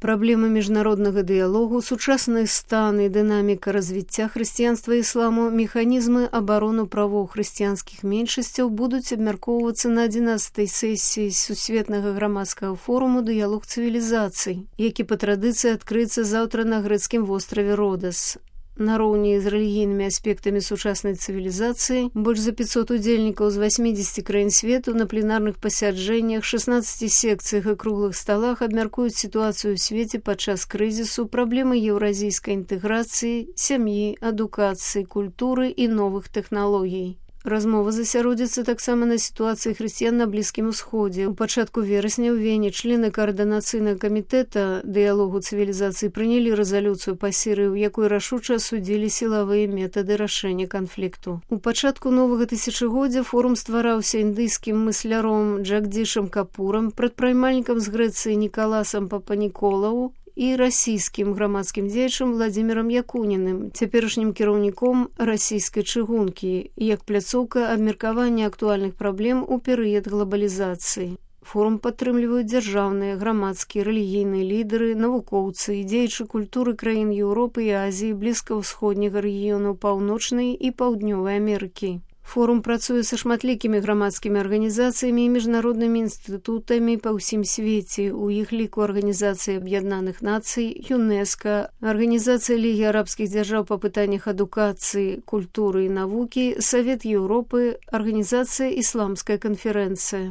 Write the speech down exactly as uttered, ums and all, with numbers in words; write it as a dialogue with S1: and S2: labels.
S1: Праблемы міжнароднага дыялогу, сучасны стан і дынаміка развіцця хрысціянства і ісламу, механізмы абарону правоў хрысціянскіх меншасцяў будуць абмяркоўвацца на адзінаццатай сесіі сусветнага грамадскага форуму «Дыялог цывілізацый», які па традыцыі адкрыецца заўтра на грэцкім востраве Родас. Нароўні з рэлігійнымі аспектамі сучаснай цывілізацыі больш за пятьсот удзельнікаў з васьмідзесяці краін свету на пленарных пасяджэннях, шаснаццаці секцыях і круглых сталах абмяркуюць сітуацыю ў свеце падчас крызісу, праблемы еўразійскай інтэграцыі, сям'і, адукацыі, культуры і новых тэхналогій. Размова засяродзіцца таксама на сітуацыі хрысціян на Блізкім Усходзе. У пачатку верасня ў Вене члены каардынацыйнага камітэта дыялогу цывілізацыі прынялі рэзалюцыю па Сірыі, у якой рашуча асудзілі сілавыя метады рашэння канфлікту. У пачатку новага тысячагоддзя форум ствараўся індыйскім мысляром Джагдзішам Капурам, прадпрымальнікам з Грэцыі Нікаласам Папаніколау і расійскім грамадскім дзеячам Владзімірам Якуніным, цяперашнім кіраўніком расійскай чыгункі, як пляцоўка абмеркавання актуальных праблем у перыяд глабалізацыі. Форум падтрымліваюць дзяржаўныя, грамадскія, рэлігійныя лідары, навукоўцы і дзеячы культуры краін Еўропы і Азіі, блізкаўсходняга рэгіёну, Паўночнай і Паўднёвай Амерыкі. Форум працуе са шматлікімі грамадскімі арганізацыямі і міжнароднымі інстытутамі па ўсім свеце, у іх ліку Арганізацыі Аб'яднаных Нацый, ЮНЕСКА, Арганізацыя Лігі арабскіх дзяржаў па пытаннях адукацыі, культуры і навукі, Савет Еўропы, Арганізацыя Ісламская канферэнцыя.